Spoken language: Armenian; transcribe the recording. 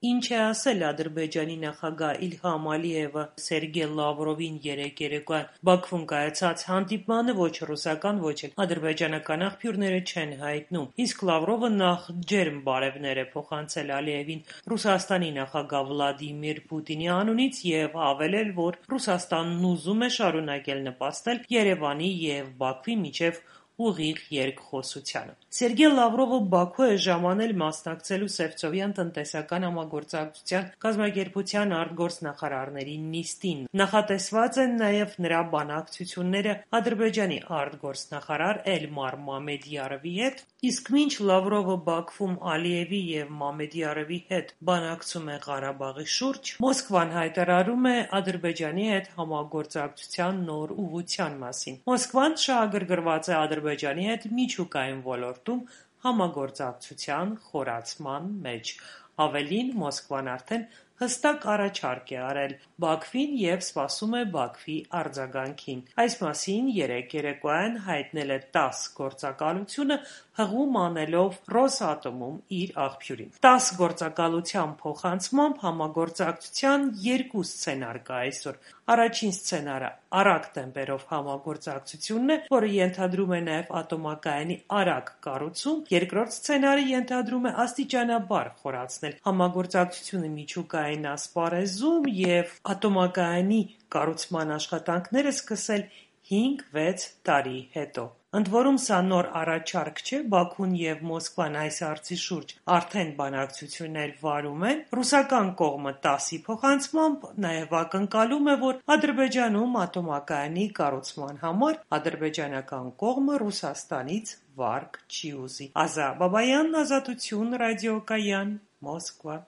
Ինչ է ասել Ադրբեջանի նախագահ Իլհամ Ալիևը Սերգեյ Լավրովին երեկ երեկոյան Բաքվում կայացած հանդիպմանը ոչ ռուսական, ոչ էլ ադրբեջանական աղբյուրները չեն հայտնում, իսկ Լավրովը նախ ջերմ բարևներ է փոխանցել Ալիևին Ռուսաստանի նախագահ Վլադիմիր Պուտինի անունից և հավելել, որ Ռուսաստանն ուզում է շարունակել նպաստել Երևանի և Բաքվի միջև ուղիղ երկխոսությանը։ Սերգեյ Լավրովը Բաքու է ժամանել մասնակցելու Սևծովյան տնտեսական համագործակցության կազմակերպության արտգործնախարարների նիստին։ Նախատեսված են նաև նրա բանակցությունները Ադրբեջանի արտգործնախարար Էլմար Մամեդյարովի հետ, իսկ մինչ Լավրովը Բաքվում Ալիևի և Մամեդյարովի հետ բանակցում է Ղարաբաղի շուրջ, Մոսկվան հայտարարում է Ադրբեջանի հետ համագործակցության նոր ուղղության մասին։ Մոսկվան շահագրգռված է Ադրբեջանի հետ միջուկային ոլորտում համագործակցության խորացման մեջ։ Ավելին, Մոսկվան արդեն հստակ առաջարկ է արել Բաքվին և սպասում է Բաքվի արձագանքին։ Այս մասին երեկ երեկոյան հայտնել է ՏԱՍՍ գործակալությունը, հղում անելով Ռոսատոմում իր աղբյուրին։ ՏԱՍՍ գործակալության փոխանցմամբ համագործակցության երկու սցենար կա այսօր։ Առաջին սցենարը արագ տեմպերով համագործակցությունն է, որը ենթադրում է նաև ատոմակայանի արագ կառուցում, երկրորդ սցենարը ենթադրում է աստիճանաբար խորացնել համագործակցությունը միջուկային ասպարեզում և ատոմակայանի կառուցման աշխատանքները սկսել 5-6 տարի հետո։ Ընդ որում, սա նոր առաջարկ չէ, Բաքուն և Մոսկվան այս հարցի շուրջ արդեն բանակցություններ վարում են։ Ռուսական կողմը ՏԱՍՍ-ի փոխանցմամբ նաև ակնկալում է, որ Ադրբեջանում ատոմակայանի կառուցման համար ադրբեջանական կողմը Ռուսաստանից վարկ չի ուզի։ Ազա Բաբայան, Ազատություն, ռադիոկայան, Մոսկվա։